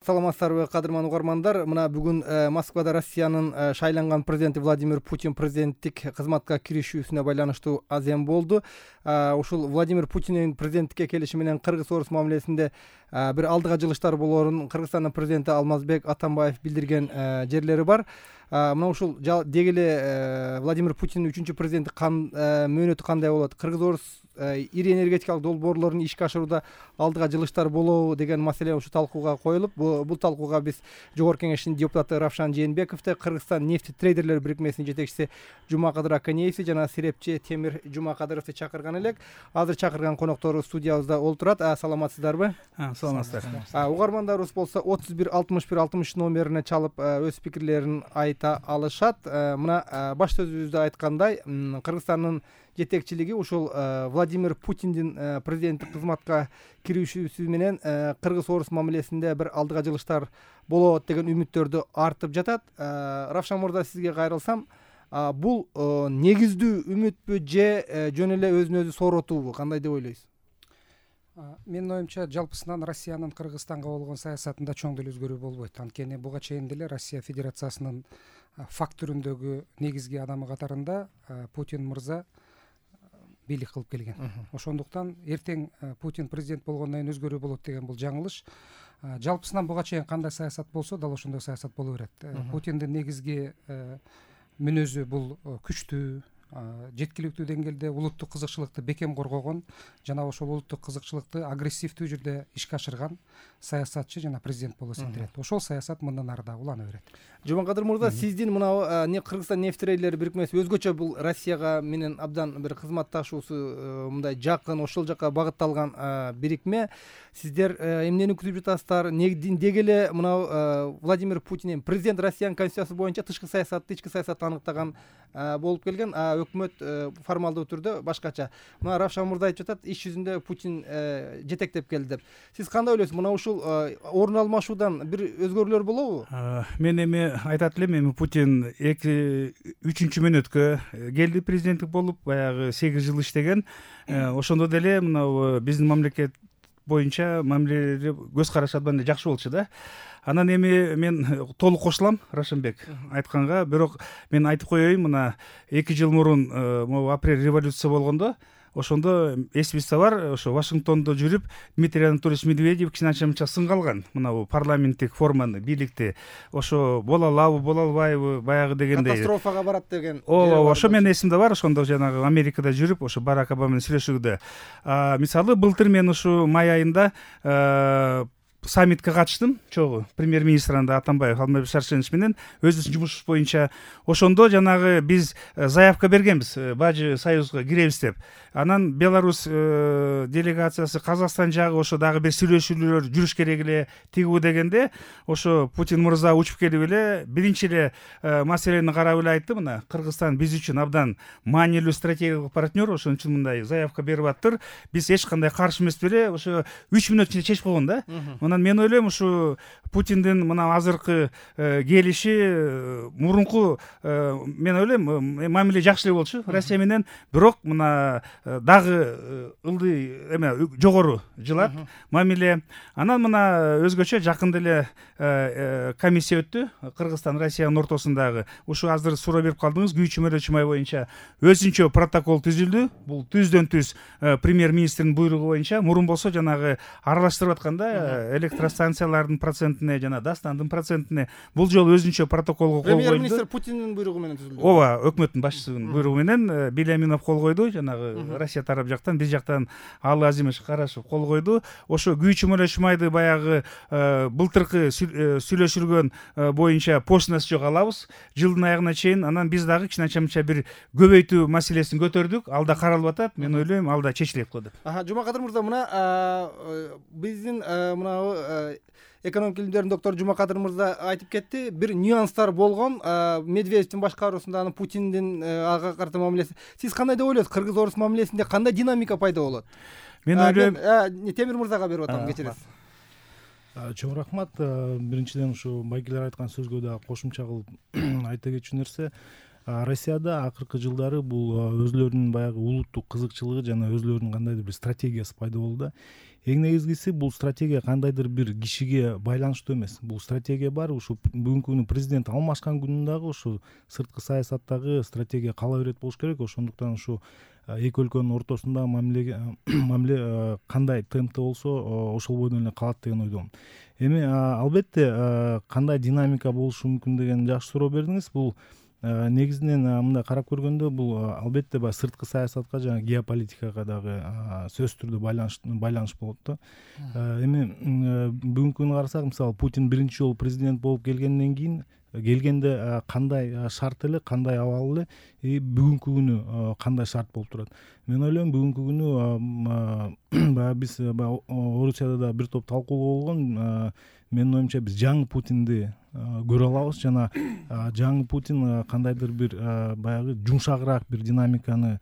Саламатсыздарбы, кадырман угармандар. Мына бүгүн Москвада Россиянын шайланган президенти Владимир Путин президенттик кызматка киришүүсүнө байланыштуу азем болду. Ушул Владимир Путиндин президенттикке келиши менен Кыргыз-Орус мамилесинде бир алдыга жылыштар болоорун Кыргызстандын президенти Алмазбек Атамбаев билдирген жерлери бар. Мына ушул деги эле Владимир Путиндин 3-чү президенттик мөөнөтү кандай болот? Кыргыз-Орус ири энергетикалык долбоорлорун ишке ашырууда алдыга жылыштар болобу деген маселе ушу талкууга коюлуп, бул талкууга биз Жогорку Кеңештин депутаты Равшан Жээнбековду, Кыргызстан нефти трейдерлер бирикмесинин жетекчиси Жумакадыр Аканеевди жана серепчи Темир Жумакадыровду чакырган элек. Азыр чакырган коноктору студиябызда олтурат. Саламатсыздарбы? Саламатсыздар. Угармандарыбыз болсо 31-61-60 номерине чалып өз пикирлерин айта алышат. Мына баш сөзүбүздө айткандай, Кыргызстандын жетекчилиги ушул Владимир Путиндин президенттик кызматка киришүүсү менен Кыргыз-Орус мамилесинде бир алдыга жылыштар болот деген үмүттөрдү артып жатат. Равшан мырза, сизге кайрылсам, бул негиздүү үмүтпү же жөн эле өзүн өзү сооротуубу? Кандай деп ойлойсуз? Менин оюмча, жалпысынан Россиянын Кыргызстанга болгон саясатында чоң деле өзгөрүү болбойт. Анткени буга чейин деле Россия Федерациясынын факт түрүндөгү негизги адамы катарында Путин мырза бийлик кылып келген. Ошондуктан эртең Путин президент болгондон кийин өзгөрүү болот деген бул жаңылыш. Жалпысынан буга чейин кандай саясат болсо, дал ошондой саясат боло берет. Путиндин негизги мүнөзү бул күчтүү, жеткиликтүү деңгээлде улуттук кызыкчылыкты бекем коргогон жана ошол улуттук кызыкчылыкты агрессивдүү жүрдө ишке ашырган саясатчы жана президент болуп эсептелет. Ошол саясат мындан ары дагы улана берет. Жумакадыр мырза, сиздин мына Кыргызстан нефть трейдерлери бирикмеси өзгөчө бул Россияга менен абдан бир кызматташуусу мындай жакын, ошол жака багытталган бирикме. Сиздер эмнени күтүп жатасыздар? Деги эле мына Владимир Путин президент Россиянын конституциясы боюнча тышкы саясатты, ички саясатты аныктаган болуп келген. Өкмөт формалдуу түрдө башкача. Мына Равшан мырза айтып жатат, иш жүзүндө Путин жетектеп келди деп. Сиз кандай ойлойсуз? Мына ушул орун алмашуудан бир өзгөрүүлөр болобу? Мен эми айтат элем, эми Путин 3-чү мөөнөткө келди президенттик болуп, баягы 8 жыл иштеген. Ошондо деле мына биздин мамлекет боюнча мамилелери көз карашы абдан эле жакшы болчу да. Анан эми мен толук кошулам Рашенбек айтканга, бирок мен айтып коеюн, мына 2 жыл мурун могу апрель революция болгондо, ошондо эсибизде бар, ошо Вашингтондо жүрүп Дмитрий Анатольевич Медведев кичине-чамча сынгалган мына бул парламенттик форманы, бийликти. Ошо боло алабы, боло албайбы, баягы дегендей катастрофага барат деген. Ошо менин эсимде бар. Ошондо жанагы Америкада жүрүп, ошо Барак Обама менен сүйлөшүүдө. Мисалы, былтыр мен ушу май айында саммитке катыштым, чогуу премьер-министр Атамбаев Алмазбек Шаршенович менен өзүбүздүн жумушубуз боюнча. Ошондо жанагы биз заявка бергенбиз, Бажы Союзга киребиз деп. Анан Беларусь делегациясы, Казакстан жагы ошо дагы бир сүйлөшүүлөр жүрүш керек эле тигүү дегенде, ошо Путин мырза учуп келип эле биринчи эле маселени карап эле айтты, мына Кыргызстан биз үчүн абдан маанилүү стратегиялык партнер, ошон үчүн мындай заявка берип аттыр. Биз эч кандай каршы эмес беле, ошо 3 мүнөт ичинде чечип койгон да. Анан мен ойлойм, ушу Путиндин мына азыркы келиши мурунку, мен ойлойм, мамиле жакшы эле болчу Россия менен, бирок мына дагы ылдый эме жогору жылат мамиле. Анан мына өзгөчө жакында эле комиссия өттү Кыргызстан Россиянын ортосундагы. Ушу азыр суроо берип калдыңыз, күйүүчү мөөнөтчү май боюнча өзүнчө протокол түзүлдү. Бул түздөн-түз премьер-министрдин буйругу боюнча. Мурун болсо жанагы аралаштырып атканда электростанциялардын процентине жана дастандын процентине бул жолу өзүнчө протоколго кол койду. Премьер-министр Путиндин буйругу менен түзүлдү. Ооба, өкмөттүн башчысынын буйругу менен Беляминов кол койду, жанагы Россия тарап жактан, биз жактан Алы Азимович Карашев кол койду. Ошо күйүүчү мөөнөтчү майды баягы былтыркы сүйлөшүлгөн боюнча поштасы жок алабыз жылдын аягына чейин. Анан биз дагы кичине-чамча бир көбөйтүү маселесин көтөрдүк. Алда каралып атат. Мен ойлойм, алда чечилет го деп. Жумакадыр мырза, мына биздин мына экономик илимдердин доктору Жумакадыр мырза айтып кетти, бир нюанстар болгон Медведевдин башкаруусунда Путиндин ага карата мамилеси. Сиз кандай деп ойлойсуз? Кыргыз-Орус мамилесинде кандай динамика пайда болот? Мен ойлойм, Темир мырзага берип атам, кечиресиз. Чоң рахмат. Биринчиден ушу байгелер айткан сөзгө да кошумча кылып айта кетчү нерсе, Россияда акыркы жылдары бул өзлөрүнүн баягы улуттук кызыкчылыгы жана өзлөрүнүн кандайдыр бир стратегиясы пайда болду да. Эң негизгиси бул стратегия кандайдыр бир кишиге байланыштуу эмес. Бул стратегия бар. Ушу бүгүнкү күнү президент алмашкан күнүн дагы ушу сырткы саясаттагы стратегия кала берет болуш керек. Ошондуктан ушу эки өлкөнүн ортосунда мамиле кандай темпте болсо ошол бойдон эле калат деген ойдомун. Эми албетте кандай динамика болушу мүмкүн деген жакшы суроо бердиңиз. Бул негизинен мындай карап көргөндө бул албетте баягы сырткы саясатка жана геополитикага дагы сөзсүз түрдө байланыш болот да. Эми бүгүнкү күнү карасак, мисалы Путин биринчи жолу президент болуп келгенде кандай шарт эле, кандай абал эле, бүгүнкү күнү кандай шарт болуп турат. Мен ойлойм бүгүнкү күнү баягы биз Орусияда да бир топ талкуулоо болгон. Менин оюмча биз жаңы Путинди көрө алабыз жана жаңы Путин кандайдыр бир баягы жумшагыраак бир динамиканы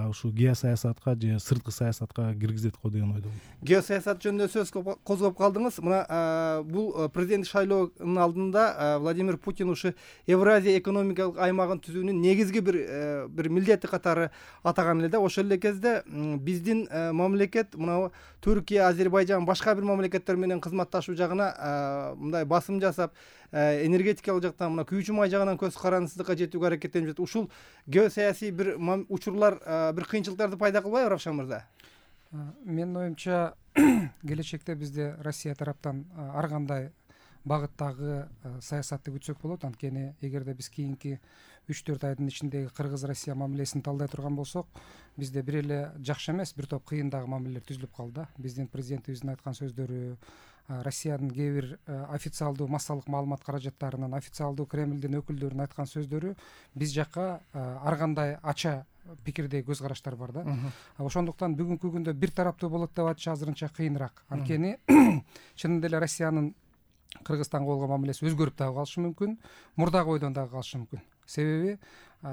ушу геосаясатка же сырткы саясатка киргизет го деген ойдомун. Геосаясат жөнүндө сөз козгоп калдыңыз. Мына бул президенттик шайлоонун алдында Владимир Путин ушу Евразия экономикалык аймагын түзүүнүн негизги бир милдети катары атаган эле да. Ошол эле кезде биздин мамлекет мына Түркия, Азербайжан, башка бир мамлекеттер менен кызматташуу жагына мындай басым жасап, энергетикалык жактан мына күйүүчү май жагынан көз карандысыздыкка жетүүгө аракеттенип жатат. Ушул геосаясий бир учурлар бир кыйынчылыктарды пайда кылбайбы, Равшан мырза? Менин оюмча келечекте бизде Россия тараптан ар кандай багыттагы саясатты күтсөк болот. Анткени эгерде биз кийинки 3-4 айдын ичиндеги Кыргыз-Россия мамилесин талдай турган болсок, бизде бир эле жакшы эмес, бир топ кыйын дагы мамилелер түзүлүп калды. Биздин президентибиздин айткан сөздөрү, Россиянын кээ бир официалдуу массалык маалымат каражаттарынын, официалдуу Кремлдин өкүлдөрүнүн айткан сөздөрү биз жакка ар кандай ача пикирдеги көз караштар бар да. Ошондуктан бүгүнкү күндө бир тараптуу болот деп айтыш азырынча кыйыныраак. Анткени чынында эле Россиянын Кыргызстанга болгон мамилеси өзгөрүп дагы калышы мүмкүн, мурдагы бойдон дагы калышы мүмкүн. Себеби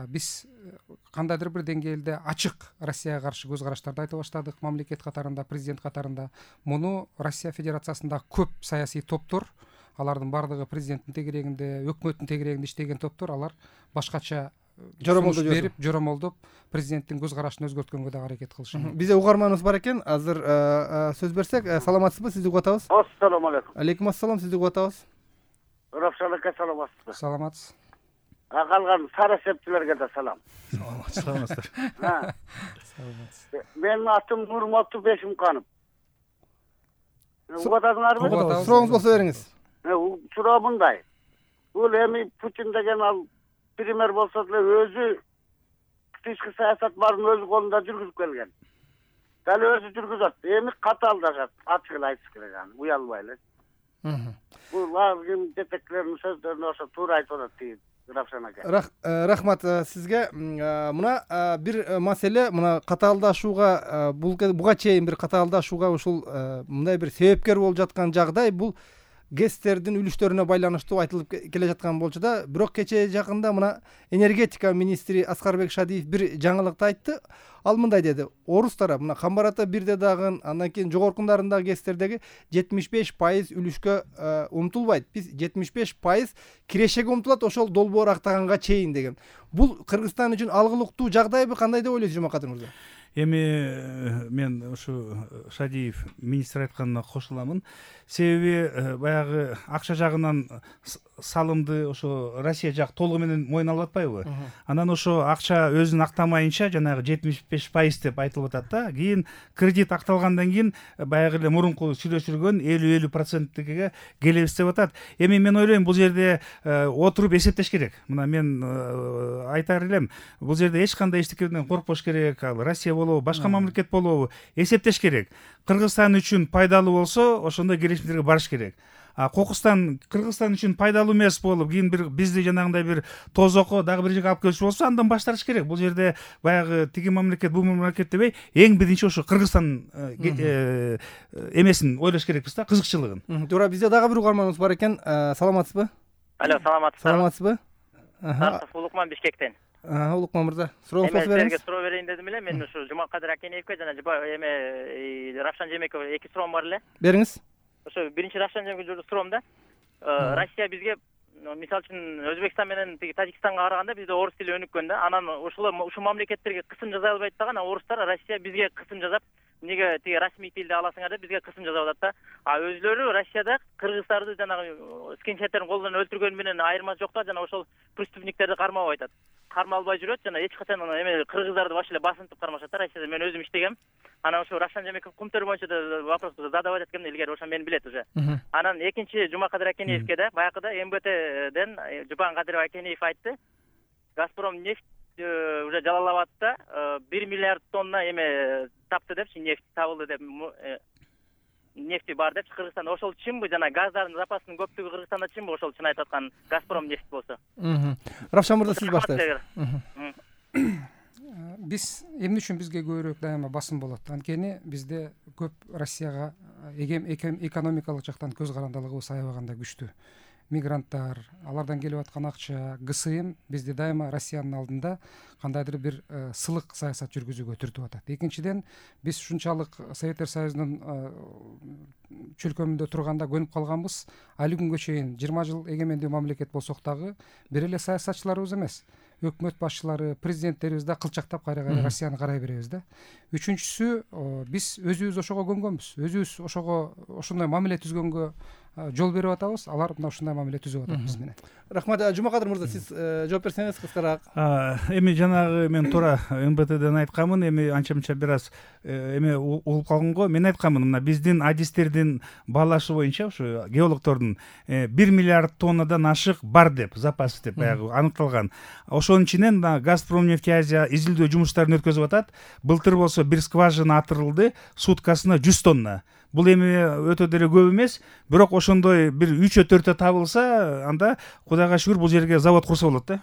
биз кандайдыр бир деңгээлде ачык Россияга каршы көз караштарды айта баштадык, мамлекет катарында, президент катарында. Муну Россия Федерациясында көп саясий топтор, алардын бардыгы президенттин тегерегинде, өкмөттүн тегерегинде иштеген топтор, алар башкача жоромолдоп президенттин көз карашын өзгөрткөнгө дагы аракет кылышы. Бизде угарманыбыз бар экен. Азыр сөз берсек, саламатсызбы? Сизди угуп атабыз. Ассаламу алейкум. Алейкум ассалам, сизди угуп атабыз. Равшан ака, саламатсызбы? Саламатсыз. Калган сара септилерге да салам. Саламатсыздар. Саламатсыз. Менин атым Нурматов Бешимканов. Угуп атасыңарбы? Сурооңуз болсо бериңиз. Суроо мындай. Бул эми Путин деген ал пример болсо деле өзү тышкы саясат баарын өзү колунда жүргүзүп келген. Дал өзү жүргүзөт. Эми катаалдашат. Ачык эле айтыш керек аны, уялбай эле. Бул ким жетекчилердин сөздөрүнө ошо туура айтып атат дейт Равшан ака. Рахмат сизге. Мына бир маселе, мына катаалдашууга, буга чейин бир катаалдашууга ушул мындай бир себепкер болуп жаткан жагдай бул ГЭСтердин үлүштөрүнө байланыштуу айтылып келе жаткан болчу да. Бирок кечээ жакында мына энергетика министри Аскарбек Шадиев бир жаңылыкты айтты. Ал мындай деди: орус тарап мына Камбарата бирде дагы, андан кийин жогоркундагы ГЭСтердеги 75% үлүшкө умтулбайт. Биз 75% кирешеге умтулат, ошол долбоор актаганга чейин деген. Бул Кыргызстан үчүн алгылыктуу жагдайбы, кандай деп ойлойсуз, Жомакадыр мырза? Эми мен ушу Шадиев министр айтканына кошуламын. Себеби баягы акча жагынан салымды ошо Россия жак толугу менен мойнуна алып атпайбы? Анан ошо акча өзүн актамайынча жанагы 75% деп айтылып атат да. Кийин кредит акталгандан кийин баягы эле мурунку сүйлөшүлгөн 50-50%ге келебиз деп атат. Эми мен ойлойм бул жерде отуруп эсептеш керек. Мына мен айтар элем, бул жерде эч кандай эчтекеден коркпош керек. Ал Россия болобу, башка мамлекет болобу, эсептеш керек. Кыргызстан үчүн пайдалуу болсо, ошондой келишимдерге барыш керек. Кыргызстан үчүн пайдалуу эмес болуп, кийин бир бизди жанагындай бир тозокко дагы бир жерге алып келчү болсо, андан баш тартыш керек. Бул жерде баягы тиги мамлекет, бул мамлекет дебей, эң биринчи ошо Кыргызстан эмесин ойлош керекпиз да, кызыкчылыгын. Туура, бизде дагы бир угарманыбыз бар экен. Саламатсызбы? Алло, саламатсызбы? Улукман Бишкектен. Улукман мырза, сурооңузду болсо бериңиз. Мен сизге суроо берейин дедим эле. Мен ушу Жумакадыр Акенеевке жана Равшан Жемековге эки суроом бар эле. Бериңиз. Ошо биринчи Равшан Жемековге суроом да. Россия бизге мисалы үчүн Өзбекстан менен тиги Тажикстанга караганда бизде орус тили өнүккөн да. Анан ушул мамлекеттерге кысым жасай албайт дагы, анан орустар Россия бизге кысым жасап, эмнеге тиги расмий тилди аласыңар деп бизге кысым жасап атат да. А өзүлөрү Россияда кыргыздарды жанагы скинхеттердин колунан өлтүргөнү менен айырмасы жок да, жана ошол преступниктерди кармап айтат. Кармалбай жүрөт, жана эч качан эме кыргыздарды баш эле басынтып кармашат да Россияда. Мен өзүм иштегем. Анан ошо Равшан Жамеков кумтөр боюнча да вопросту задавать эткем илгери, ошо мени билет уже. Анан экинчи Жумакадыр Акенеевке да баягыда МБТден Жубан-Кадыров Акенеев айтты. Газпром нефть уже Жалал-Абадта 1 миллиард тонна эме тапты депчи, нефть табылды деп, нефти бар депчи Кыргызстанда. Ошол чынбы, жана газдардын запасынын көптүгү Кыргызстанда чынбы ошол чын айтып аткан Газпром нефть болсо? Равшан мырза, сиз баштайсыз. Биз эмне үчүн бизге көбүрөөк дайыма басым болот? Анткени бизде көп Россияга экономикалык жактан көз карандылыгыбыз аябаганда күчтүү. Мигранттар, алардан келип аткан акча, ГСМ бизди дайыма Россиянын алдында кандайдыр бир сылык саясат жүргүзүүгө түртүп атат. Экинчиден, биз ушунчалык Советтер Союзунун чөлкөмүндө турганда көнүп калганбыз. Али күнгө чейин 20 жыл эгемендүү мамлекет болсок дагы бир эле саясатчыларыбыз эмес, өкмөт башчылары, президенттерибиз да кылчактап кайра-кайра Россияны карай беребиз да. Үчүнчүсү, биз өзүбүз ошого көнгөнбүз. Өзүбүз ошого ошондой мамиле түзгөнгө жол берип атабыз. Алар мына ушундай мамиле түзүп атат биз менен. Рахмат. Жумакадыр мырза, сиз жооп берсеңиз кыскараак. Эми жанагы мен туура МБТден айтканмын, эми анча-мынча бир аз эме угуп калган го. Мен айтканмын, мына биздин адистердин баалашы боюнча ушу геологдордун 1 миллиард тоннадан ашык бар деп, запас деп баягы аныкталган. Ошонун ичинен Газпромнефтеазия изилдөө жумуштарын өткөзүп атат. Былтыр болсо бир скважина атырылды, суткасына 100 тонна. Бул эми өтө деле көп эмес, бирок ошондой бир 3-4 табылса, анда Кудайга шүгүр бул жерге завод курса болот да.